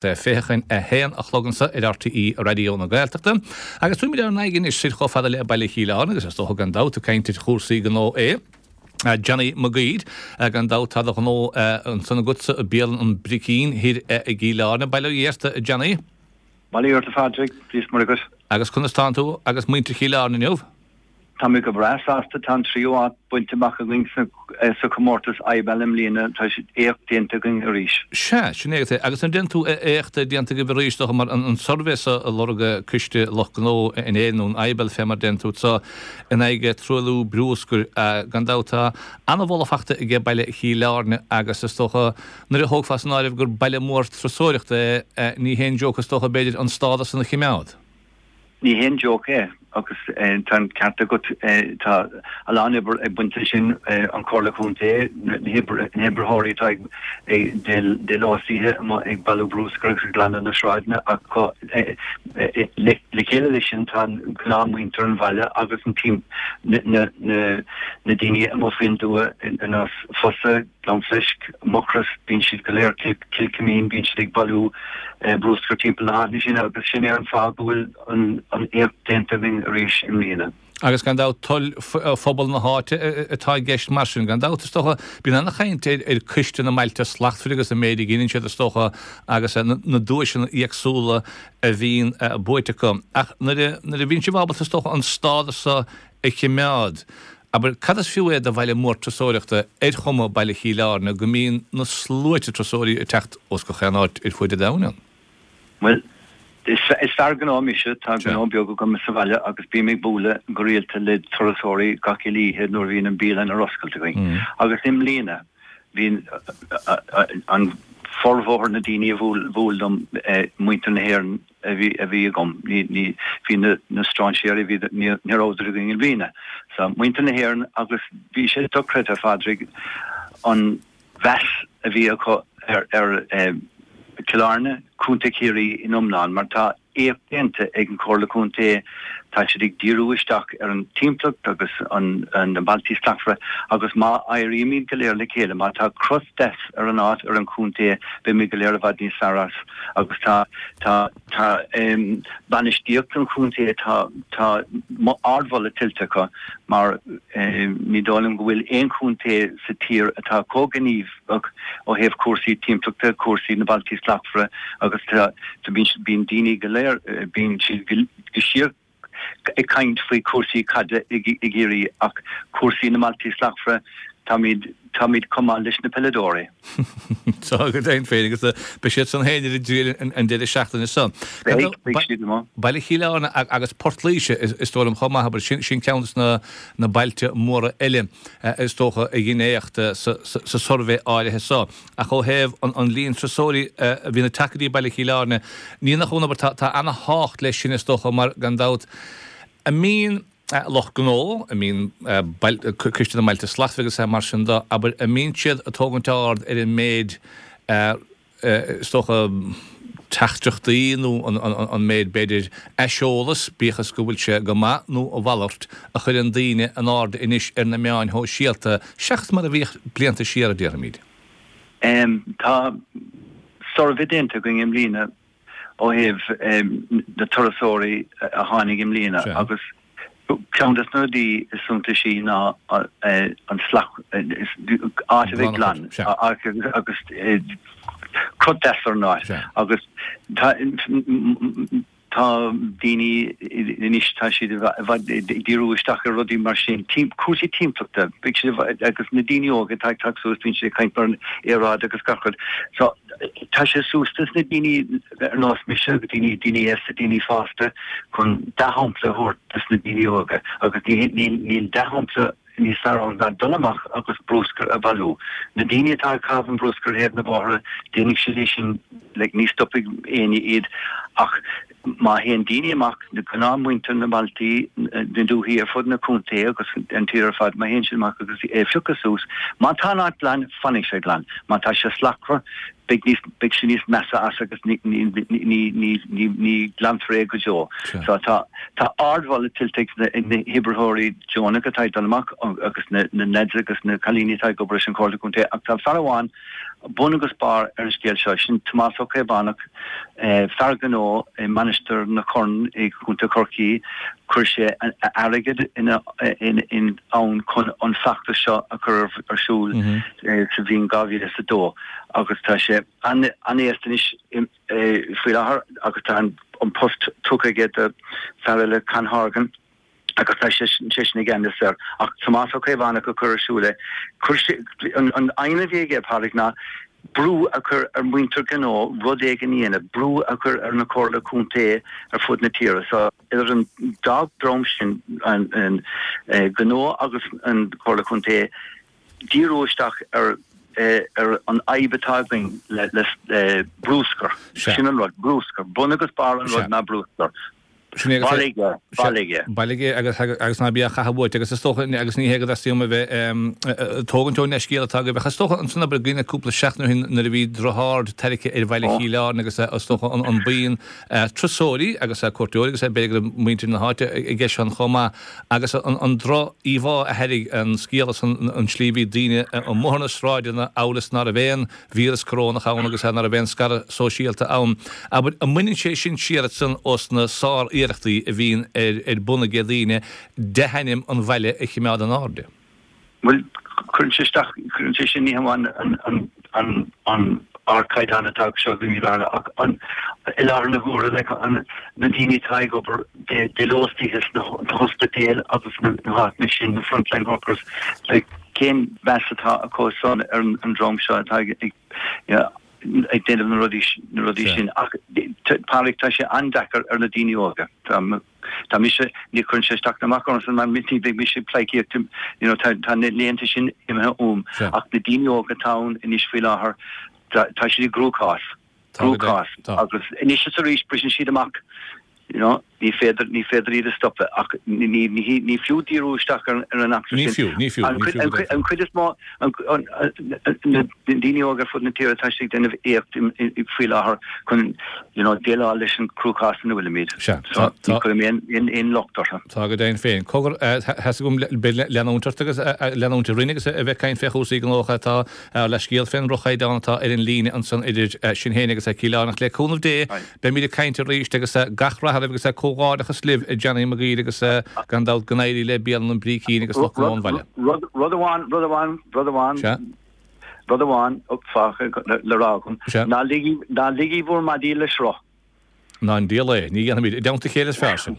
1:40 a chlog anso ar RTÉ Raidió na Gaeltachta. Agus tabharfaimid ár n-aghaidh anois soir chomh fada le Baile Chill Airne agus is dócha gan dabht ag caint ar chúrsaí gnó é. Johnny Mac Uidhir, gan dabht tá do ghnó ansan agatsa i Bialann an Bricín thoir i gCill Airne. Bail ó Dhia ort, a Johnny. Bail ó Dhia ort, a Phádraig, Dia is Muire dhuit. Agus conas tánn tú agus muintir Chill Airne inniu? Tá mé go breá sásta, tá an tríú áit bainte amach againn sa chomórtas IBAL i mbliana, tá éacht déanta againn arís. Sea, sin é agus an deireann tú éacht déanta agaibh arís, dócha, mar an suirbhé so a lorg Coiste Lucht Gnó in Éirinn nó an IBAL fé mar deireann tú so in aghaidh truailliú brúscair, gan dabht tá ana-mholadh fachta aige baile Chill Airne agus is dócha nuair a thógfá san áireamh gur baile mór turasóireachta é ní haon joke is dócha b'fhéidir an stádas san a chimeád. Ní haon joke é agus tá an ceart agat, tá a lán oibre ag baint leis sin, an Chomhairle Contae, na hoibritheoirí atá ag de ló is oíche amuigh ag bailiú brúscair agus ag glanadh na sráideanna ach le chéile leis sin tá gnáthmhuintir an bhaile agus an na daoine amuigh faoin dtuath ar nós Fosa, Gleann Fleisc, Mucros, bíonn siad go léir, Cill Coimín, bíonn siad ag bailiú brúscair timpeall na háite sin agus sin é an fáth go bhfuil an éacht déanta againn arís i mbliana. Agus gan dabht toil phobal na háite atá i gceist mar sin. Gan dabht, is dócha, bíonn ana-chaint ar Coiste na mBailte Slachtmhara agus an méid a dheineann siad, is dócha, agus na duaiseanna éagsúla a bhíonn buaite acu. Ach nuair a bhíonn sibh ábalta, is dócha, an stádas so a chimeád, Abair, cad is fiú é do bhaile mór turasóireachta ar chuma Baile Chill Airne go mbíonn na sluaite turasóirí ag teacht ós gach aon áit ar fuaid an domhain ann? Bhuel, is fear gnó mise, tá gnó beag agam sa bhaile agus bím ag bualadh go rialta le turasóirí gach uile oíche nuair a bhíonn an bialann ar oscailt againn. Agus i mbliana, bhí an formhór na daoine a bhuail liom, muintir na hÉireann, a bhí a bhí agam. Ní ní bhí na na strainséirí bhí ní ní rabhadar againn i mbliana. So muintir na hÉireann agus bhí sé dochreidte a Phádraig an mheas a bhí acu ar ar eh, Cill Airne, Contae Chiarraí in iomlán mar tá éacht déanta ag an Chomhairle Contae tá siad ag díriú isteach ar an timpeallacht agus an na Bailtí Slachtmhara agus má éirímid go léir le chéile, má tá cruth deas ar an áit ar an chontae beimid go léir i bhfad níos fearr as. Agus tá, tá, tá bainistíocht an chontae, tá, tá ardmholadh tuillte acu mar ní dóigh liom go bhfuil aon chontae sa tír atá chomh gníomhach ó thaobh cúrsaí timpeallachta, cúrsaí na Bailtí Slachtmhara agus tá, bíonn daoine go léir, bíonn siad go síor ag caint faoi chúrsaí caide i gCiarraí ach cúrsaí na mBailtí Slachtmhara, táimid, táimid chomh maith leis na peileadóirí. Tá go deimhin féin agus beidh siad san féin ar a dtriail an deireadh seachtaine seo. Beidh, beidh siad amuigh. Baile Chill Airne agus Port Laoise is dóigh liom chomh maith, abair, sin ceann de na bailte móra eile is dócha a dhein éacht sa suirbhé áirithe seo. Ach ó thaobh an líon turasóirí a bhíonn ag teacht go dtí Baile Chill Airne, ní nach ionadh, abair, tá ana-thábhacht leis sin is dócha mar gan dabht a mbíonn lucht gnó, a mbíonn Coiste na mBailte Slachtmhara agus mar sin de, abair, a mbíonn siad ag tógaint aird ar an méid is dócha, teachtaireachtaí nó an méid, b'fhéidir, aiseolas, bíodh is go bhfuil sé go maith nó a mhalairt, a chuireann daoine in airde anois ar na meáin shóisialta, seachas mar a bhíodh blianta siar, a déarfaimid. Tá suirbhé déanta againn i mbliana ó thaobh na turasóirí a tháinig i mbliana agus Ceann de na rudaí is suntaisí ná an slacht, áit a bheith glan agus crut deas ar an áit agus tá tá daoine anois tá siad i bhfad ag díriú isteach ar rudaí mar sin, cúrsaí timpeallachta, bíonn siad agus na daoine óga atá ag teacht suas bíonn siad ag caint mar an aeráid agus gach rud. So tá sé suas dos na daoine ar nós mise agus daoine, daoine aosta, daoine fásta chun dea-shampla a thabhairt dos na daoine óga agus níl dea-shampla níos fearr ann ná dul amach agus brúscar a bhailiú. Na daoine atá ag caitheamh an brúscair ar thaobh na bóithre, déanfaidh siad é sin, like, ní stopfaidh éinne iad ach má théann daoine amach, na gnáthmhuintir na mbailtí, na dúthaí ar fud na contae agus an tír ar fad, má théann siad amach agus é a phiocadh suas, má tá an áit glan, fanfaidh sé glan. Má tá sé slachtmhar, beidh níos, beidh sé níos measa as agus ní, ní, ní, ní, ní, ní glanfar é go deo. So tá, tá ardmholadh tuillte ag na, ag na hoibritheoirí deonacha atá ag dul amach agus na, na leaids agus na cailíní atá ag obair leis an Chomhairle Contae ach tá fear amháin. bun agus barr ar an scéal seo, sin Tomás Ó Caomhánach, fear gnó i Mainistir na Corn i gContae Chorcaí, chuir sé a airgead in ann chun an feachtas seo a chur ar siúl sa bhliain 2002 agus tá sé an-aosta anois faoi láthair agus tá an post tugtha aige do fear eile, Con Horgan. agus tá seisean i gceannas air. Ach Tomás Ó Caomhánach a chuir ar siúl é. Chuir sé, an aidhm a bhí aige, Pádraig, ná brú a chur ar mhuintir gnó rud éigin a dhéanamh, brú a chur ar na Comhairle Contae ar fud na tíre. So, idir an dá dhream sin, an gnó agus an Chomhairle Contae, díriú isteach ar ar an fhadhb atá againn le bruscar. Sin an rud, bruscar. Bun agus barr an rud ná bruscar. Sin é agus Bailigh é, bailigh é. Bailigh é agus agus ná bí á chaitheamh uait agus is dócha agus ní hé go dteastaíonn uaim a bheith ag tógaint ón leithscéal atá agaibh ach is dócha ansan abair i gcuimhne cúpla seachtain ó shin nuair a bhí drochaird tarraicthe ar bhaile Chill Airne agus is dócha an an buíon turasóirí agus cuairteoirí agus b'fhéidir go raibh muintir na háite i gceist ann chomh maith agus an an droch-íomhá a thairg an scéal is an an tslí a bhí daoine amuigh ar na sráideanna amhail is ná raibh aon víreas corónach ann agus ná raibh aon scaradh sóisialta ann. Abair, an mbaineann sé sin siar ansan ós na sár-iarrachtaí a bhíonn ar bun ag daoine dea-ainm an bhaile a chimeád in airde? Bhuel, cuireann sé isteach, cuireann sé sin ní hamháin an, an, an ardchaighdeán atá anseo i gCill Airne ach an, i láthair na huaire, like, an, na daoine atá ag obair dé ló is d'oíche sna hospidéil agus na háiteanna sin, na frontline workers, like, Cén mheas atá acu san ar an dream seo atá ag déanamh na rudaí sin? Ach Pádraig, tá sé an-deacair ar na daoine óga. Tá mise, ní chuireann sé isteach ná amach ormsa mar ní bheidh mise ag pleidhcíocht, you know, tá na laethanta sin imithe uaim. Ach na daoine óga atá ann anois faoi láthair, tá siad i gcruachás. Cruachás. Agus anois is arís briseann siad amach, you know, ní féidir, ní féidir iad a stopadh ach ní, ní, ní, ní fiú díriú isteach ar, ar an eachtra sin. Ní fiú, ní fiú, ní fiú go deimhin. An chuid is mó, an, an, na daoine óga ar fud na tíre, tá siad ag déanamh éacht faoi láthair chun, you know, déileáil leis an cruachás ina bhfuilimid. Sea, tá, tá. Ní chuirim aon, aon, aon locht orthu. Tá go deimhin féin. Cogar, tá's agam, beidh leanúint ort agus, leanúint orainn agus a bheith ag caint fé chúrsaí gnó atá Ár leithscéal fén ndroch-chaighdeán atá ar an líne ansan idir sinn féin agus Cill Airne ach le cúnamh Dé beimid ag caint arís agus gach rath oraibh agus comhghairdeachas libh a Johnny Mag Uidhir agus gan dabht go n-éirí le Bialann an Brícín agus lucht gnó an bhaile. Rud amháin, rud amháin, rud amháin, rud amháin fágtha le rá agam, ná ligí bhur maidí le sruth. Ná an diabhal é, ní dhéanfaimid, i dteannta a chéile is fearr sin.